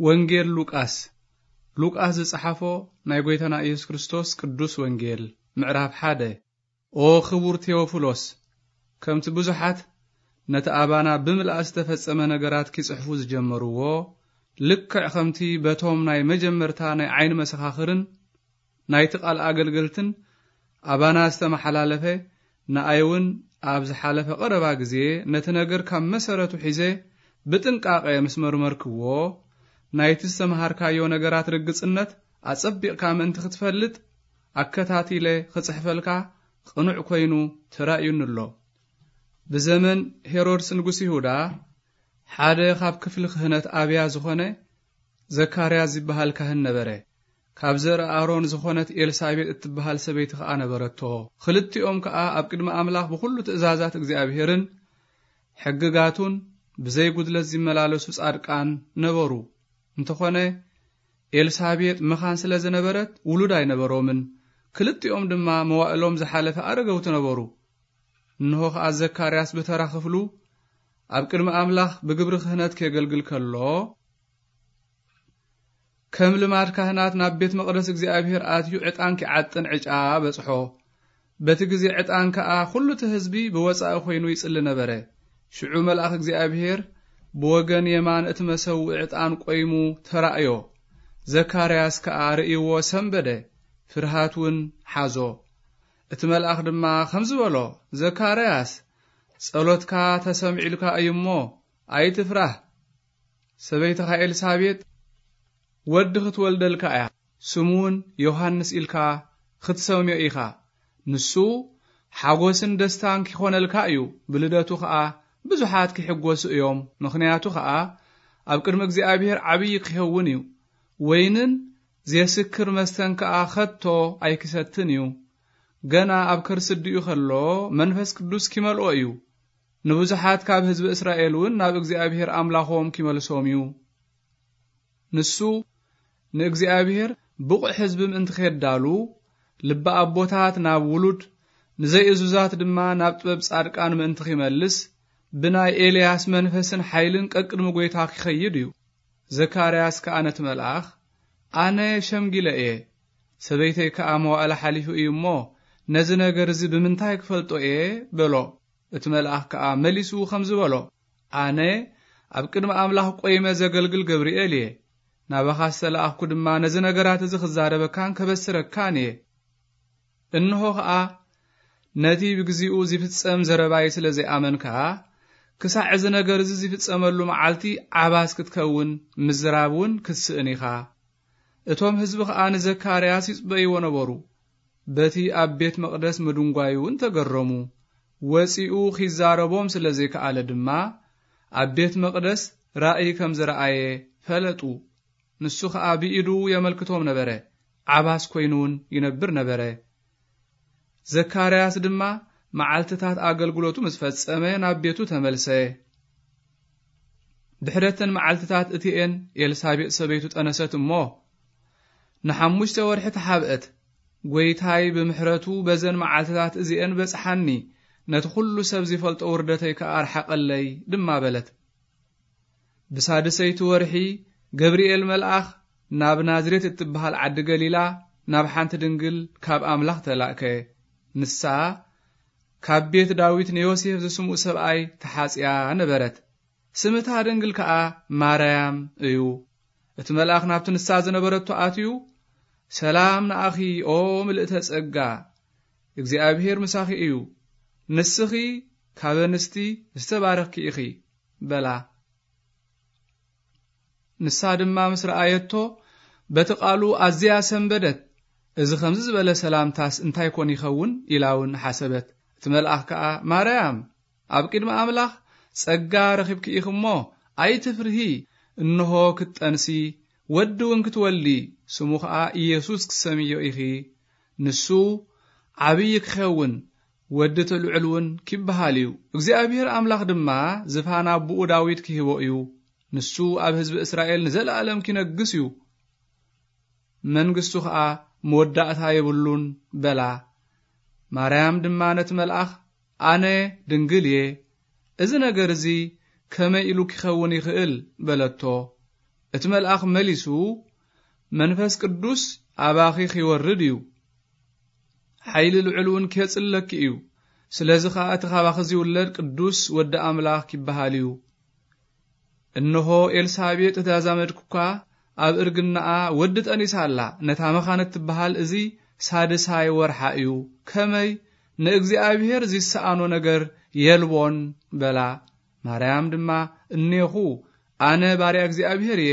ወንጌል ሉቃስ። ሉቃስ ዝጸሓፎ ናይ ጐይታና ኢየሱስ ክርስቶስ ቅዱስ ወንጌል። ምዕራፍ ሓደ። ኦ ኽቡር ቴዎፍሎስ፣ ከምቲ ብዙሓት ነቲ ኣባና ብምልኣት ዝተፈጸመ ነገራት ኪጽሕፉ ዝጀመርዎ፣ ልክዕ ከምቲ በቶም ናይ መጀመርታ ናይ ዓይኒ መሰኻኽርን ናይቲ ቃል ኣገልገልትን ኣባና ዝተመሓላለፈ፣ ንኣይ እውን ኣብ ዝሓለፈ ቀረባ ግዜ ነቲ ነገር ካብ መሰረቱ ሒዘ ብጥንቃቐ ምስ መርመርክዎ፣ ናይቲ ዝተመሃርካዮ ነገራት ርግጽነት ኣጸቢቕካ ምእንቲ ክትፈልጥ፣ ኣከታቲለ ክጽሕፈልካ ቅኑዕ ኮይኑ ተራእዩኒ ኣሎ። ብዘመን ሄሮድስ ንጉስ ይሁዳ፣ ሓደ ካብ ክፍሊ ክህነት ኣብያ ዝኾነ ዘካርያስ ዝበሃል ካህን ነበረ። ካብ ዘርኢ ኣሮን ዝኾነት ኤልሳቤጥ እትበሃል ሰበይቲ ከኣ ነበረቶ። ክልቲኦም ከኣ ኣብ ቅድሚ ኣምላኽ ብኹሉ ትእዛዛት እግዚኣብሄርን ሕግጋቱን ብዘይ ጉድለት ዝመላለሱ ጻድቃን ነበሩ። እንተኾነ፣ ኤልሳቤጥ መኻን ስለ ዝነበረት ውሉድ ኣይነበሮምን። ክልቲኦም ድማ መዋእሎም ዝሓለፈ ኣረገውቲ ነበሩ። እንሆ ከኣ ዘካርያስ ብተራ ክፍሉ ኣብ ቅድሚ ኣምላኽ ብግብሪ ክህነት ኬገልግል ከሎ፣ ከም ልማድ ካህናት ናብ ቤት መቕደስ እግዚኣብሔር ኣትዩ ዕጣን ኪዓጥን ዕጫ በጽሖ። በቲ ግዜ ዕጣን ከኣ ኹሉ እቲ ህዝቢ ብወጻኢ ኾይኑ ይጽሊ ነበረ። ሽዑ መልኣኽ እግዚኣብሔር ብወገን የማን እቲ መሰውኢ ዕጣን ቆይሙ ተራእዮ። ዘካርያስ ከኣ ርእይዎ ሰንበደ፣ ፍርሃት እውን ሓዞ። እቲ መልኣኽ ድማ ከምዚ በሎ፣ "ዘካርያስ፣ ጸሎትካ ተሰሚዑልካ እዩ እሞ ኣይትፍራህ። ሰበይትኻ ኤልሳቤጥ ወዲ ክትወልደልካ እያ፣ ስሙ እውን ዮሃንስ ኢልካ ክትሰምዮ ኢኻ። ንሱ ሓጎስን ደስታን ኪኾነልካ እዩ፣ ብልደቱ ኸኣ ብዙሓት ኪሕጎሱ እዮም። ምኽንያቱ ኸኣ ኣብ ቅድሚ እግዚኣብሔር ዓብዪ ኪኸውን እዩ። ወይንን ዜስክር መስተን ከኣ ኸቶ ኣይኪሰትን እዩ። ገና ኣብ ከርሲ ኣዲኡ ኸሎ መንፈስ ቅዱስ ኪመልኦ እዩ። ንብዙሓት ካብ ህዝቢ እስራኤል እውን ናብ እግዚኣብሔር ኣምላኾም ኪመልሶም እዩ። ንሱ ንእግዚኣብሔር ብቑዕ ህዝቢ ምእንቲ ኼዳሉ፣ ልቢ ኣቦታት ናብ ውሉድ፣ ንዘይእዙዛት ድማ ናብ ጥበብ ጻድቃን ምእንቲ ኺመልስ፣ ብናይ ኤልያስ መንፈስን ሓይልን ቀቅድሚ ጐይታ ኪኸይድ እዩ። ዘካርያስ ከኣ ነቲ መልኣኽ፣ "ኣነ ሸምጊለ እየ፣ ሰበይተይ ከኣ መዋእላ ሓሊፉ እዩ እሞ፣ ነዚ ነገር እዚ ብምንታይ ክፈልጦ እየ?" በሎ። እቲ መልኣኽ ከኣ መሊሱ ኸምዚ በሎ፣ "ኣነ ኣብ ቅድሚ ኣምላኽ ቈይመ ዘገልግል ገብርኤል እየ። ናባኻ ዝተለኣኽኩ ድማ ነዚ ነገራት እዚ ክዛረበካን ከበስረካን እየ። እንሆ ኸኣ ነቲ ብግዚኡ ዚፍጸም ዘረባይ ስለ ዘይኣመንካ፣ ክሳዕ እዚ ነገር እዚ ዚፍጸመሉ መዓልቲ ዓባስ ክትከውን፣ ምዝራብ እውን ክትስእን ኢኻ።" እቶም ህዝቢ ኸኣ ንዘካርያስ ይጽበይዎ ነበሩ። በቲ ኣብ ቤት መቕደስ ምድንጓዩ እውን ተገረሙ። ወጺኡ ኺዛረቦም ስለ ዘይከኣለ ድማ፣ ኣብ ቤት መቕደስ ራእይ ከም ዝረኣየ ፈለጡ። ንሱ ኸኣ ብኢዱ የመልክቶም ነበረ፣ ዓባስ ኰይኑ እውን ይነብር ነበረ። ዘካርያስ ድማ መዓልትታት ኣገልግሎቱ ምስ ፈጸመ ናብ ቤቱ ተመልሰ። ድሕረተን መዓልትታት እቲኤን ኤልሳቤጥ ሰበይቱ ጠነሰት እሞ፣ ንሓሙሽተ ወርሒ ተሓብአት። "ጐይታይ ብምሕረቱ በዘን መዓልትታት እዚኤን በጽሓኒ፣ ነቲ ኹሉ ሰብ ዚፈልጦ ውርደተይ ከኣ ኣርሓቐለይ" ድማ በለት። ብሳድሰይቲ ወርሒ ገብርኤል መልኣኽ ናብ ናዝሬት እትበሃል ዓዲ ገሊላ ናብ ሓንቲ ድንግል ካብ ኣምላኽ ተላእከ። ንሳ ካብ ቤት ዳዊት ንዮሴፍ ዝስምኡ ሰብኣይ ተሓጽያ ነበረት። ስም እታ ድንግል ከኣ ማርያም እዩ። እቲ መልኣኽ ናብቲ ንሳ ዝነበረቶ ኣትዩ፣ "ሰላም ንኣኺ ኦ ምልእተ ጸጋ፣ እግዚኣብሄር ምሳኺ እዩ፣ ንስኺ ካብ ኣንስቲ ዝተባረኽኪ ኢኺ" በላ። ንሳ ድማ ምስ ረኣየቶ በቲ ቃሉ ኣዝያ ሰንበደት። "እዚ ከምዚ ዝበለ ሰላምታስ እንታይ ኮን ይኸውን?" ኢላ እውን ሓሰበት። እቲ መልኣኽ ከኣ፣ "ማርያም፣ ኣብ ቅድሚ ኣምላኽ ጸጋ ረኺብኪ ኢኺ እሞ ኣይትፍርሂ፣ እንሆ ክትጠንሲ፣ ወዲ እውን ክትወልዲ፣ ስሙ ኸኣ ኢየሱስ ክትሰምዮ ኢኺ። ንሱ ዓብዪ ክኸውን፣ ወዲ እቲ ልዑል እውን ኪበሃል እዩ። እግዚኣብሔር ኣምላኽ ድማ ዝፋን ኣቦኡ ዳዊት ኪህቦ እዩ። ንሱ ኣብ ህዝቢ እስራኤል ንዘለኣለም ኪነግስ እዩ። መንግስቱ ኸኣ መወዳእታ የብሉን" በላ። ማርያም ድማ ነቲ መልኣኽ፣ "ኣነ ድንግል እየ፣ እዚ ነገር እዚ ከመይ ኢሉ ኪኸውን ይኽእል?" በለቶ። እቲ መልኣኽ መሊሱ፣ "መንፈስ ቅዱስ ኣባኺ ኺወርድ እዩ፣ ሓይሊ ልዑል እውን ኬጽለኪ እዩ። ስለዚ ኸኣ እቲ ኻባኺ ዚውለድ ቅዱስ ወዲ ኣምላኽ ኪበሃል እዩ።" እንሆ፣ ኤልሳቤጥ እታ ዛመድኪ እኳ ኣብ እርግናኣ ወዲ ጠኒሳ ኣላ። ነታ መኻን እትበሃል እዚ ሳድሳይ ወርሓ እዩ። ከመይ ንእግዚኣብሔር ዚሰኣኖ ነገር የልቦን በላ። ማርያም ድማ፣ "እኔኹ፣ ኣነ ባርያ እግዚኣብሔር እየ፣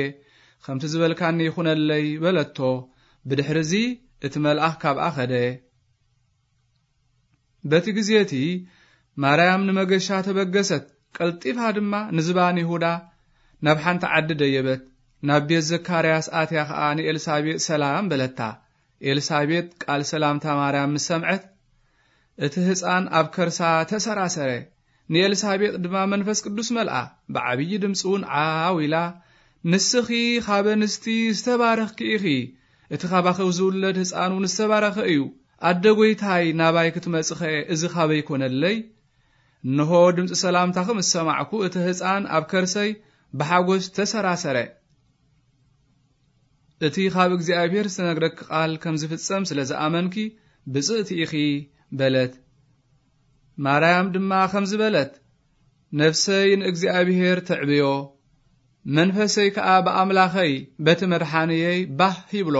ከምቲ ዝበልካኒ ይኹነለይ" በለቶ። ብድሕርዚ እቲ መልኣኽ ካብኣ ኸደ። በቲ ግዜ እቲ ማርያም ንመገሻ ተበገሰት። ቀልጢፋ ድማ ንዝባን ይሁዳ ናብ ሓንቲ ዓዲ ደየበት። ናብ ቤት ዘካርያስ ኣትያ ኸኣ ንኤልሳቤጥ ሰላም በለታ። ኤልሳቤጥ ቃል ሰላምታ ማርያም ምስ ሰምዐት፣ እቲ ህፃን ኣብ ከርሳ ተሰራሰረ። ንኤልሳቤጥ ድማ መንፈስ ቅዱስ መልኣ። ብዓብዪ ድምፂ እውን ዓው ኢላ፣ "ንስኺ ኻብ ኣንስቲ ዝተባረኽኪ ኢኺ፣ እቲ ኻባኺ ዝውለድ ህፃን እውን ዝተባረኸ እዩ። ኣደ ጐይታይ፣ ናባይ ክትመጽኸ እዚ ኻበይ ኮነለይ? እንሆ፣ ድምፂ ሰላምታኺ ምስ ሰማዕኩ፣ እቲ ህፃን ኣብ ከርሰይ ብሓጎስ ተሰራሰረ። እቲ ኻብ እግዚኣብሔር ዝተነግረኪ ቃል ከም ዝፍጸም ስለ ዝኣመንኪ፣ ብፅእቲ ኢኺ" በለት። ማርያም ድማ ከምዚ በለት፣ "ነፍሰይ ንእግዚኣብሔር ተዕብዮ፣ መንፈሰይ ከኣ ብኣምላኸይ በቲ መድሓንየይ ባህ ይብሎ።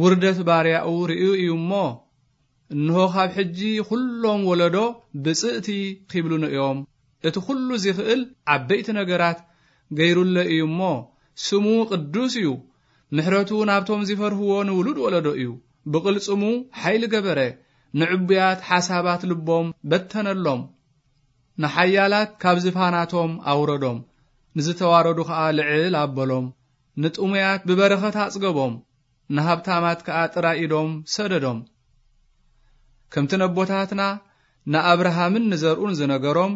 ውርደት ባርያኡ ርእዩ እዩ እሞ፣ እንሆ፣ ካብ ሕጂ ኹሎም ወለዶ ብፅእቲ ኺብሉኒ እዮም። እቲ ኹሉ ዚኽእል ዓበይቲ ነገራት ገይሩለ እዩ እሞ፣ ስሙ ቅዱስ እዩ። ምሕረቱ ናብቶም ዚፈርህዎ ንውሉድ ወለዶ እዩ። ብቕልጽሙ ሓይሊ ገበረ፣ ንዕቡያት ሓሳባት ልቦም በተነሎም። ንሓያላት ካብ ዝፋናቶም ኣውረዶም፣ ንዝተዋረዱ ኸኣ ልዕል ኣበሎም። ንጥሙያት ብበረኸት ኣጽገቦም፣ ንሃብታማት ከኣ ጥራይ ኢዶም ሰደዶም። ከምቲ ነቦታትና ንኣብርሃምን ንዘርኡን ዝነገሮም፣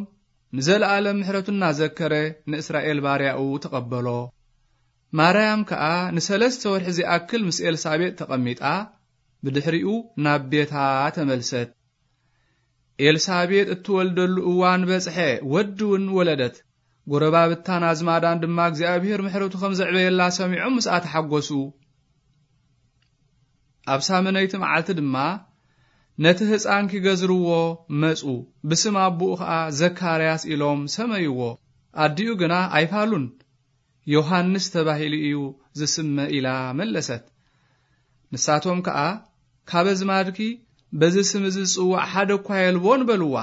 ንዘለኣለም ምሕረቱ እናዘከረ ንእስራኤል ባርያኡ ተቐበሎ። ማርያም ከኣ ንሰለስተ ወርሒ ዚኣክል ምስ ኤልሳቤጥ ተቐሚጣ፣ ብድሕሪኡ ናብ ቤታ ተመልሰት። ኤልሳቤጥ እትወልደሉ እዋን በጽሐ፣ ወዲ እውን ወለደት። ጎረባብታን ኣዝማዳን ድማ እግዚኣብሔር ምሕረቱ ከም ዘዕበየላ ሰሚዖም ምስኣ ተሓጎሱ። ኣብ ሳምነይቲ መዓልቲ ድማ ነቲ ህፃን ኪገዝርዎ መጹ። ብስም ኣቦኡ ኸኣ ዘካርያስ ኢሎም ሰመይዎ። ኣዲኡ ግና ኣይፋሉን፣ ዮሃንስ ተባሂሉ እዩ ዝስመ ኢላ መለሰት። ንሳቶም ከኣ፣ ካብ ኣዝማድኪ በዚ ስም እዚ ዝጽዋዕ ሓደ እኳ የልቦን በልዋ።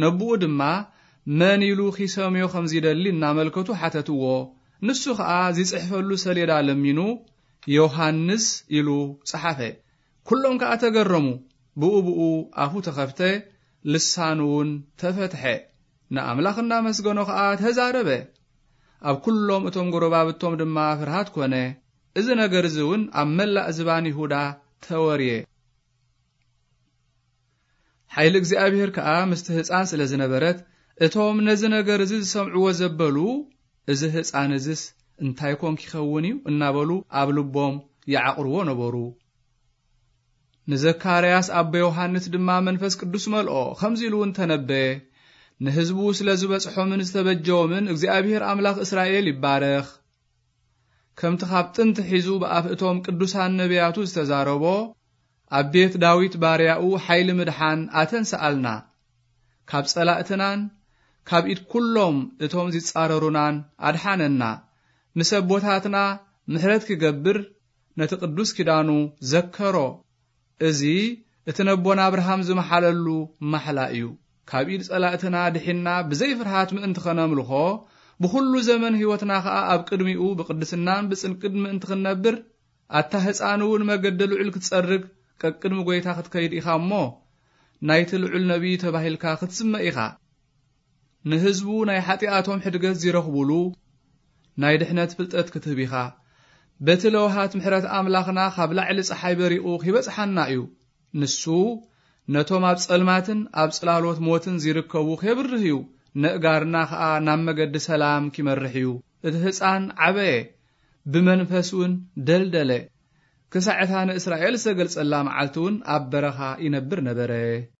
ነብኡ ድማ መን ኢሉ ኺሰምዮ ከም ዚደሊ እናመልከቱ ሓተትዎ። ንሱ ኸኣ ዚጽሕፈሉ ሰሌዳ ለሚኑ፣ ዮሃንስ ኢሉ ጸሓፈ። ኵሎም ከኣ ተገረሙ። ብኡ ብኡ ኣፉ ተኸፍተ፣ ልሳኑ እውን ተፈትሐ። ንኣምላኽ እናመስገኖ ኸኣ ተዛረበ። ኣብ ኵሎም እቶም ጐረባብቶም ድማ ፍርሃት ኰነ። እዚ ነገር እዚ እውን ኣብ መላእ ዝባን ይሁዳ ተወርየ። ሓይሊ እግዚኣብሔር ከኣ ምስቲ ህፃን ስለ ዝነበረት፣ እቶም ነዚ ነገር እዚ ዝሰምዕዎ ዘበሉ፣ "እዚ ህፃን እዝስ እንታይ ኮን ኪኸውን እዩ?" እናበሉ ኣብ ልቦም ይዓቕርዎ ነበሩ። ንዘካርያስ ኣቦ ዮሃንስ ድማ መንፈስ ቅዱስ መልኦ፣ ከምዚ ኢሉ እውን ተነበየ፣ "ንህዝቡ ስለ ዝበጽሖምን ዝተበጀዎምን እግዚኣብሔር ኣምላኽ እስራኤል ይባረኽ። ከምቲ ካብ ጥንቲ ሒዙ ብኣፍ እቶም ቅዱሳን ነቢያቱ ዝተዛረቦ፣ ኣብ ቤት ዳዊት ባርያኡ ሓይሊ ምድሓን ኣተንስኣልና። ካብ ጸላእትናን ካብ ኢድ ኩሎም እቶም ዚጻረሩናን ኣድሓነና። ምስ ኣቦታትና ምሕረት ኪገብር ነቲ ቅዱስ ኪዳኑ ዘከሮ። እዚ እቲ ነቦና ኣብርሃም ዝመሓለሉ ማሕላ እዩ። ካብ ኢድ ጸላእትና ድሒንና ብዘይ ፍርሃት ምእንቲ ኸነምልኾ፣ ብኹሉ ዘመን ህይወትና ኸኣ ኣብ ቅድሚኡ ብቅድስናን ብጽንቅን ምእንቲ ኽንነብር፣ ኣታ ህፃን እውን መገዲ ልዑል ክትጸርግ ቀቅድሚ ጐይታ ክትከይድ ኢኻ እሞ፣ ናይቲ ልዑል ነቢይ ተባሂልካ ክትስመ ኢኻ። ንህዝቡ ናይ ሓጢኣቶም ሕድገት ዚረኽቡሉ ናይ ድሕነት ፍልጠት ክትህብ ኢኻ። በቲ ለውሃት ምሕረት ኣምላኽና ካብ ላዕሊ ጸሓይ በሪቑ ኺበጽሓና እዩ። ንሱ ነቶም ኣብ ጸልማትን ኣብ ጽላሎት ሞትን ዚርከቡ ኼብርህ እዩ። ነእጋርና ኸኣ ናብ መገዲ ሰላም ኪመርሕ እዩ። እቲ ህጻን ዓበየ፣ ብመንፈስ እውን ደልደለ። ክሳዕ እታ ንእስራኤል ዝተገልጸላ መዓልቲ እውን ኣብ በረኻ ይነብር ነበረ።